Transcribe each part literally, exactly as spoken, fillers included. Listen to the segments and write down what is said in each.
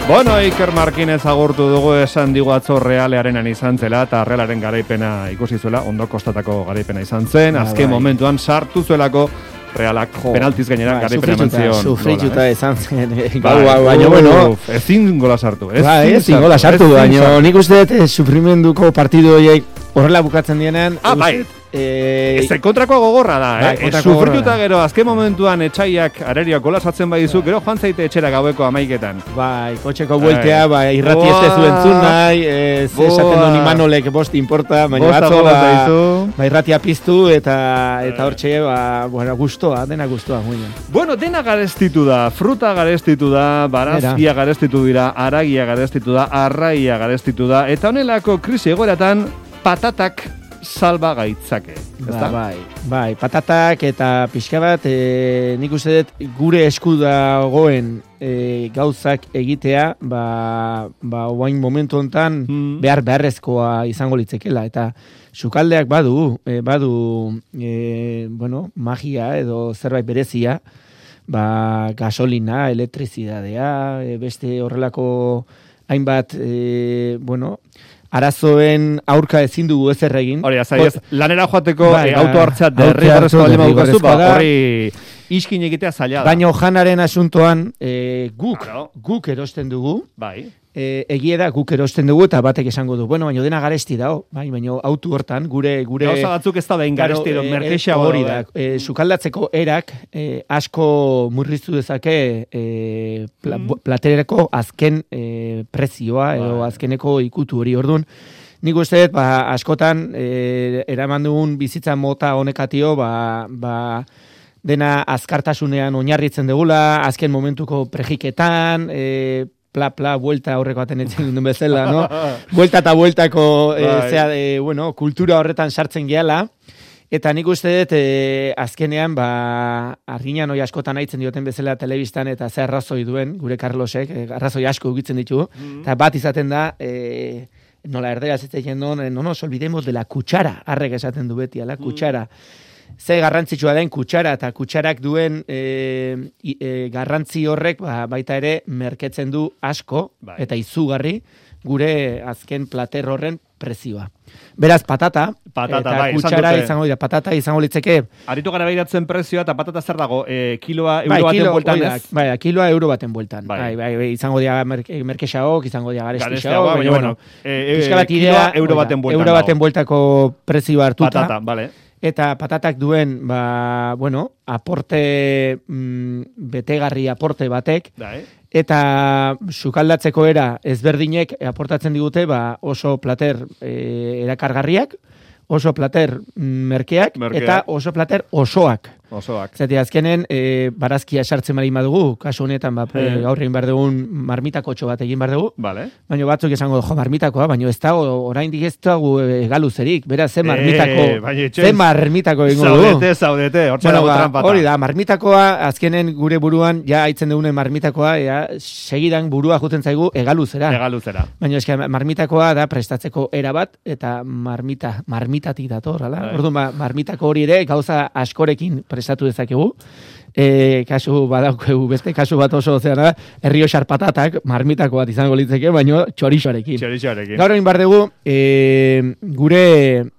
Bueno, Iker Markinez agurtu dugu, esan digu atzo Realearenan izan zela, eta Realaren garaipena ikusi zuela, ondo kostatako garaipena izan zen, ah, azken bai. momentuan sartu zuelako Realak jo, penaltiz gainera bai, garaipena eman zion. Sufrituta izan zen, bai, baina bueno, ezin gola sartu. Ezin gola sartu, baina nik uste dut sufrimenduko partidu horiek horrela bukatzen dienean. Ah, bai. Eh, ez kontrakoa gogorra da, bai, eh? Sufrituta gero, azken momentuan etxaiak arerioak gola sartzen badizu, gero joan zaite etxera gaueko amaiketan. Bai, kotxeko bueltea, bai, irrati ez tezu entzun nahi, ez esaten duen Imanolek bost importa, baina batzo, ba, irratia piztu, eta eta hortxe, ba, bueno, gustoa, dena gustoa, muina. Bueno, dena garestitu da, fruta garestitu da, barazkia garestitu dira, aragia garestitu da, arraia garestitu da, eta honelako krisi egoeratan patatak salba gaitzake. Ba, bai, bai, patatak eta pixka bat, e, nik uste dut gure esku dagoen e, gauzak egitea, ba, ba oain momentu hontan hmm. behar beharrezkoa izango litzekela, eta sukaldeak badu, e, badu, e, bueno, magia edo zerbait berezia, ba, gasolina, elektrizidadea, e, beste horrelako hainbat, e, bueno, arazoen aurka ezin dugu ezer egin. Hori, azai ez, lanera joateko bai, e, auto hartzat derrigorrezko bali maukazu, ba, hori iskin egitea zaila da. Baina janaren asuntoan e, guk, claro. guk erosten dugu, bai. e, egie da guk erosten dugu eta batek esango du. Bueno, baina dena garesti dao, bai, baina auto hortan, gure... gure gauza batzuk ez da behin garesti edo merkeixa hori da. E, sukaldatzeko erak e, asko murriztu dezake e, pla, mm. platereko azken e, prezioa edo bai. azkeneko ikutu hori ordun. Nik uste dut, ba, askotan e, eraman dugun bizitza mota honekatio, ba... ba dena azkartasunean oinarritzen degula, azken momentuko prejiketan, e, pla, pla, vuelta horreko baten etzen duen bezala, no? Vuelta eta vueltako, e, zea, e, bueno, kultura horretan sartzen gehala, eta nik uste dut, e, azkenean, ba, arginan hoi askotan aitzen dioten bezala telebistan, eta ze arrazoi duen, gure Carlosek, e, arrazoi asko ukitzen ditu, mm-hmm. eta bat izaten da, e, nola erderaz ez egin duen, no nos olvidemos de la kutsara, arrek esaten du beti, la kutsara. Mm. Ze garrantzitsua den kutxara eta kutxarak duen e, e, garrantzi horrek ba, baita ere merketzen du asko bai. eta izugarri gure azken plater horren prezioa. Beraz, patata, patata eta bai, kutxara izango dira, patata izango litzeke. Aritu gara behiratzen prezioa eta patata zer dago, e, kiloa euro bai, baten kilo, bueltan ez? Bai, kiloa euro baten bueltan. Bai, bai, bai, bai izango dira merke, merkexaok, izango dira garestixaok. Baina, bueno, e, e, kiloa euro baten bueltan. Euro baten bueltako prezioa hartuta. Patata, bale. Eta patatak duen, ba, bueno, aporte, mm, betegarri aporte batek, Dai. eta sukaldatzeko era ezberdinek aportatzen digute, ba, oso plater e, erakargarriak, oso plater merkeak, merkeak, eta oso plater osoak. Osoak. Zati, azkenen, e, barazkia sartzen bari badugu, kasu honetan, ba, e, gaur egin behar dugun marmitakotxo bat egin behar dugu, vale. baina batzuk esango, jo, marmitakoa, baina ez da, oraindik ez dago galuzerik, beraz, ze marmitako, e, ze marmitako egingo dugu. Zaudete, zaudete, hortza bueno, dago ba, trampata. Hori da, marmitakoa, azkenen gure buruan, ja haitzen dugunen marmitakoa, ja, segidan burua juten zaigu egaluzera. Egaluzera. Baina eske marmitakoa da prestatzeko era bat, eta marmita, marmitatik dator, hala? Orduan, ba, marmitako hori ere, gauza askorekin prestatu dezakegu. E, kasu badaukegu beste, kasu bat oso zeana, Errioxar patatak, marmitako bat izango litzeke, baino txorixoarekin. Txorixoarekin. Gaur egin behar dugu, e, gure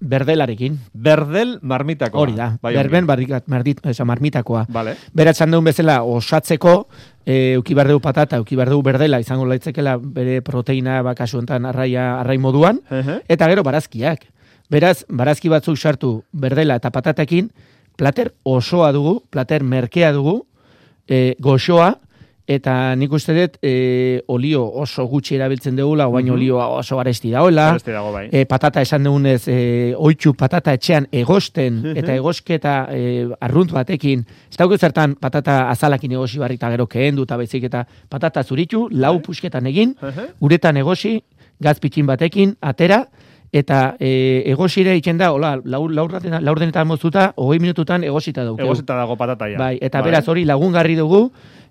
berdelarekin. Berdel marmitakoa. Hori da, bai, berben bardit, esa, marmitakoa. Vale. Beratzen dugun bezala osatzeko, e, uki behar dugu patata, uki behar dugu berdela, izango litzekela bere proteina, ba, kasu enten arraia, arrai moduan, uh-huh. eta gero barazkiak. Beraz, barazki batzuk sartu berdela eta patatekin, plater osoa dugu, plater merkea dugu, e, goxoa, eta nik uste dut e, olio oso gutxi erabiltzen dugula, baina mm-hmm. olioa oso garesti dagoela. Garesti dago bai. E, patata esan dugunez, e, oitxu patata etxean egosten, eta egosketa e, arrunt batekin, ez dago zertan patata azalakin egosi barri eta gero kehendu, eta baizik eta patata zuritu, lau pusketan egin, uretan egosi, gazpitxin batekin, atera, eta e, egosire itzen da, hola, laurdenetan moztuta, hogei minututan egosita daukeu. Egosita dago patata ja. Bai, eta beraz hori lagungarri dugu,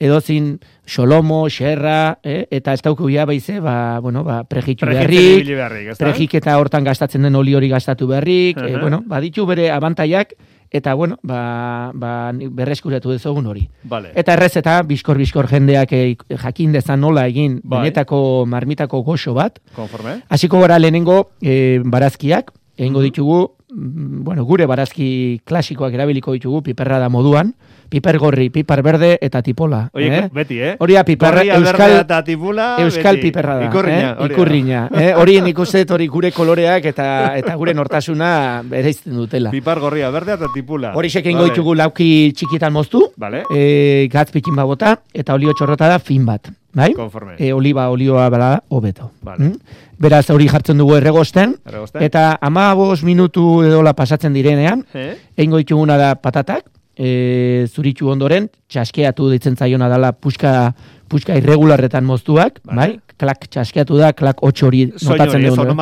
edozin xolomo, xerra, eh? eta ez daukeu ja baize, ba, bueno, ba, prejitu beharrik, beharrik prejik eta hortan gastatzen den oli hori gastatu beharrik, uh-huh. e, bueno, baditu bere abantaiak, eta bueno, ba, ba, berreskuratu dezogun hori. Vale. Eta errez eta biskor-biskor jendeak e, jakin dezan nola egin bai. benetako marmitako goxo bat. Konforme. Hasiko gara lehenengo e, barazkiak, egingo ditugu, bueno, gure barazki klasikoak erabiliko ditugu, piperra da moduan, piper gorri, piper berde eta tipola. Oie, eh? beti, eh? Horia piperra, euskal, eta tipula, euskal beti. piperra da. Ikurriña. Eh? Ikurriña. Eh? Hori nik uste hori gure koloreak eta eta gure nortasuna bereizten dutela. Pipar gorria, berdea eta tipula. Hori sekengo vale. ditugu lauki txikitan moztu, vale. e, gatz pikin babota, eta olio txorrota da fin bat. Bai? Konforme. E, oliba, olioa bala, hobeto. Vale. Mm? Beraz, hori jartzen dugu erregosten, erregosten. eta amabos minutu edola pasatzen direnean, eh? Egingo dituguna da patatak, e, zuritxu ondoren, txaskeatu ditzen zaiona dela puxka, puxka irregularretan moztuak, vale. bai? Klak txaskeatu da, klak otx hori notatzen dugu.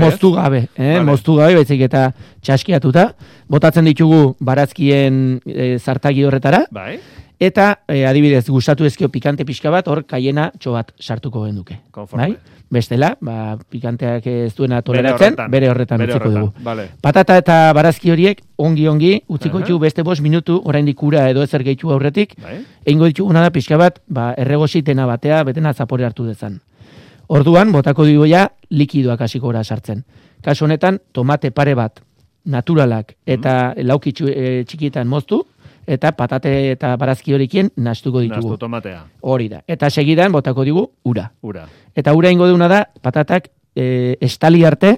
Moztu gabe, eh? vale. moztu gabe, baizik eta txaskeatuta. Botatzen ditugu barazkien e, zartagi horretara, bai. Eta, e, adibidez, gustatu ezkio pikante pixka bat, hor kaiena txobat sartuko genduke. Bai? Bestela, ba, pikanteak ez duena toleratzen, bere horretan bere utziko dugu. Vale. Patata eta barazki horiek, ongi-ongi, utziko ditugu uh -huh. beste bost minutu, oraindik ura edo ezer gehitu aurretik, bai. Egingo dituguna da pixka bat, ba, erregositena batea, betena zapore hartu dezan. Orduan, botako dugu ja, likidoak hasiko gora sartzen. Kasu honetan, tomate pare bat, naturalak, eta mm. lauki e, txikietan moztu, eta patate eta barazki horikien nastuko ditugu. Nastu tomatea. Hori da. Eta segidan botako digu ura. Ura. Eta ura ingo duna da patatak e, estali arte,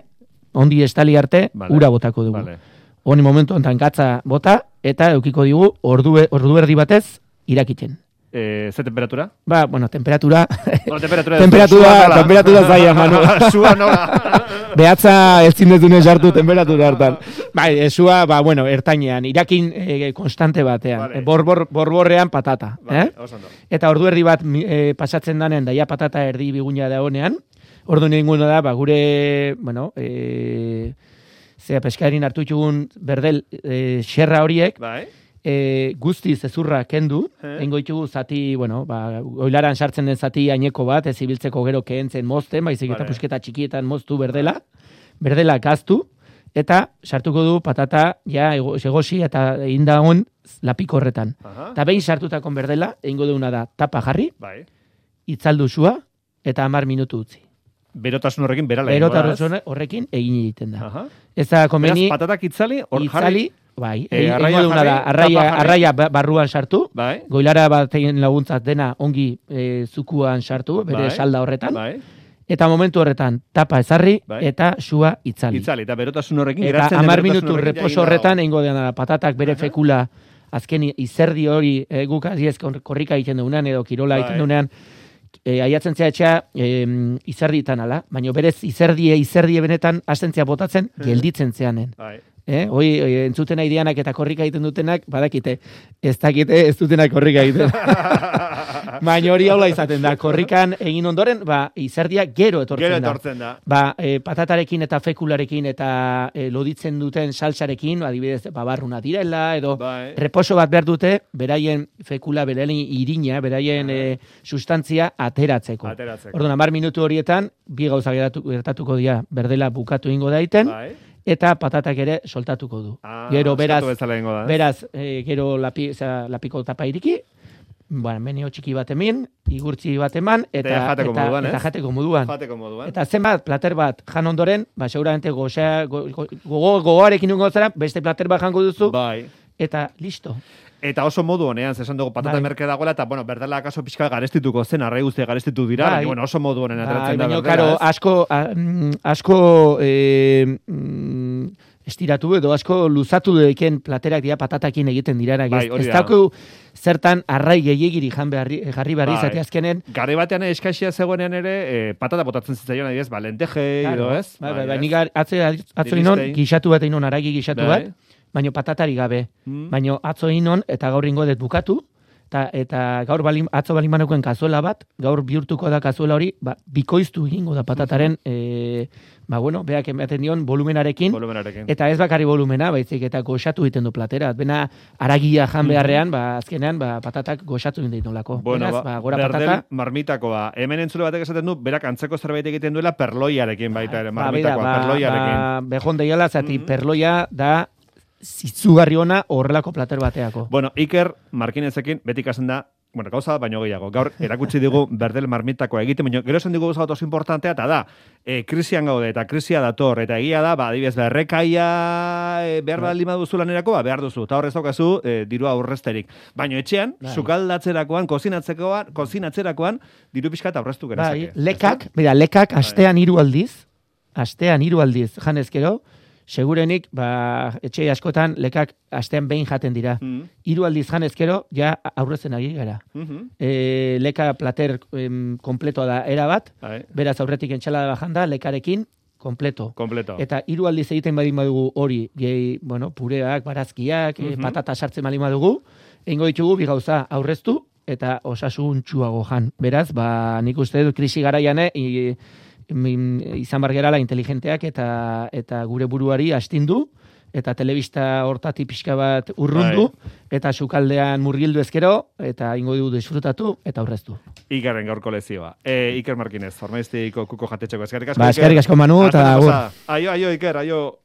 ondi estali arte, vale. Ura botako dugu. Vale. Honi momentu ontan gatza bota, eta eukiko digu ordu, ordu erdi batez irakitzen. Eh, ze temperatura? Ba, bueno, temperatura... Bueno, temperatura... temperatura, temperatura zaila, manu. Sua nola. Behatza ez zinezunez hartu temperatura hartan. Bai, sua, ba, bueno, ertainean, irakin e, konstante batean. Vale. Borbor, borborrean patata. Vale, eh? Eta ordu erdi bat e, pasatzen danen, daia patata erdi biguna da honean. Ordu ninguna da, ba, gure, bueno, e, zera peskarin hartu txugun berdel e, xerra horiek. Bai. E, guzti zezurra kendu, eingo ditugu zati, bueno, ba, oilaran sartzen den zati haineko bat, ez ibiltzeko gero kehentzen mozten, baizik eta pusketa txikietan moztu berdela, berdela gaztu, eta sartuko du patata, ja, egosi eta indagon lapiko horretan. Eta behin sartutakon berdela, eingo duguna da tapa jarri, bai. Itzaldu sua, eta hamar minutu utzi. Berotasun horrekin berala. Berotasun horrekin egin egiten da. Aha. Ez da komeni... Beraz, patatak itzali, hor jarri... Bai, e, arraia, jarri, da, arraia, arraia barruan sartu, bai. Goilara batein laguntzat dena ongi e, zukuan sartu, bere bai. Salda horretan, bai. Eta momentu horretan tapa ezarri bai. Eta sua itzali. Itzali, eta berotasun horrekin geratzen den. Eta hamar minutu reposo horretan egingo dena patatak bere uh-huh. fekula, azken izerdi hori e, guk aziez korrika egiten dugunean edo kirola egiten bai. Dugunean, e, aiatzen zea etxea e, izerditan ala, baina berez izerdie, izerdie benetan astentzia botatzen, uh-huh. gelditzen zeanen. Bai. Eh, hoi, entzuten aideanak eta korrika egiten dutenak, badakite, ez dakite ez dutenak korrika egiten. Baina hori haula izaten da, korrikan egin ondoren, ba, izerdia gero etortzen, gero etortzen da. da. Ba, e, patatarekin eta fekularekin eta e, loditzen duten salsarekin, adibidez, babarruna direla, edo bai. Reposo bat behar dute, beraien fekula, beraien irina, beraien e, sustantzia ateratzeko. Ateratzeko. Orduan, hamar minutu horietan, bi gauza gertatuko dira, berdela bukatu ingo daiten, bai. Eta patatak ere soltatuko du. Ah, gero beraz, da, eh? beraz e, gero lapi, oza, lapiko tapa iriki, bueno, menio txiki bat emin, igurtzi bat eman, eta, eta, jateko, eta, moduan, eta jateko moduan. Jateko moduan. Eta zenbat, plater bat jan ondoren, ba, seguramente gogoarekin go, go, go, go zara, beste plater bat jango duzu, bai. Eta listo. Eta oso modu honean, zesan dugu patata bai. Merke dagoela, eta, bueno, berdela akaso pixka garestituko zen, arrai guztia garestitu dira, bai. Bueno, oso modu honen ateratzen bai, da. Baina, karo, asko, a, asko e, mm, estiratu edo, asko luzatu deken platerak dira patatakin egiten dira. Bai, ez dauku zertan arrai gehiagiri jarri jarri barri bai. Zati azkenen. Gare batean eskaixia zegoenean ere, e, patata botatzen zitzaion, adibidez, ba, lenteje, claro. Edo ez? Bai, bai, bai, bai, bai, atzo, atzo inon, gixatu bat inon, aragi gixatu bai. Bat, baino patatari gabe, mm. baino atzo inon eta gaur ingo dut bukatu, eta, eta gaur balim, atzo balimanukoen kazuela bat, gaur bihurtuko da kazuela hori, ba, bikoiztu egingo da patataren, mm-hmm. e, ba bueno, beak ematen dion volumenarekin, volumenarekin, eta ez bakari volumena, baizik eta goxatu egiten du platera, bena aragia jan beharrean, mm-hmm. ba, azkenean, ba, patatak goxatu egiten nolako. Bueno, Beraz, ba, gora berdel patata, marmitakoa, hemen entzule batek esaten du, berak antzeko zerbait egiten duela perloiarekin baita ere, marmitakoa, ba, ba, perloiarekin. Ba, behon deiala, zati, mm-hmm. perloia da, zitzugarri ona horrelako plater bateako. Bueno, Iker Markinezekin beti ikasen da, bueno, gauza baino gehiago. Gaur erakutsi digu berdel marmitakoa egiten, baina gero esan digu gauza bat oso importantea, eta da, e, krisian gaude, eta krisia dator, eta egia da, ba, adibidez, berrekaia e, behar baldin baduzu lanerako, ba, behar duzu, eta horrez daukazu e, dirua aurrezterik. Baina etxean, bai. Sukaldatzerakoan, kozinatzerakoan, kozinatzerakoan, diru pixka eta aurreztu genezake. Bai, lekak, mira, lekak astean hiru aldiz, astean hiru aldiz, janezkero, segurenik, ba, etxe askotan lekak astean behin jaten dira. Mm. Hiru aldiz janezkero, ja aurrezen ari gara. Mm-hmm. E, leka plater em, kompletoa da erabat, Ae. Beraz aurretik entxalada bajanda, lekarekin kompleto. Kompleto. Eta hiru aldiz egiten badin badugu hori, gehi, bueno, pureak, barazkiak, mm-hmm. e, patata sartzen badin badugu, egingo ditugu bi gauza aurreztu eta osasun txuago jan. Beraz, ba, nik uste dut krisi garaiane, i, izan bargerala inteligenteak eta eta gure buruari astindu eta telebista hortati pixka bat urrundu Ai. Eta sukaldean murgildu ezkero eta ingo du disfrutatu eta aurreztu. Ikerren gaurko lezioa. E, Iker Markinez, Ormaiztiko kuko jatetxeko eskerrik asko. Ba, eskerrik asko Manu eta agur. Aio, aio Iker, aio.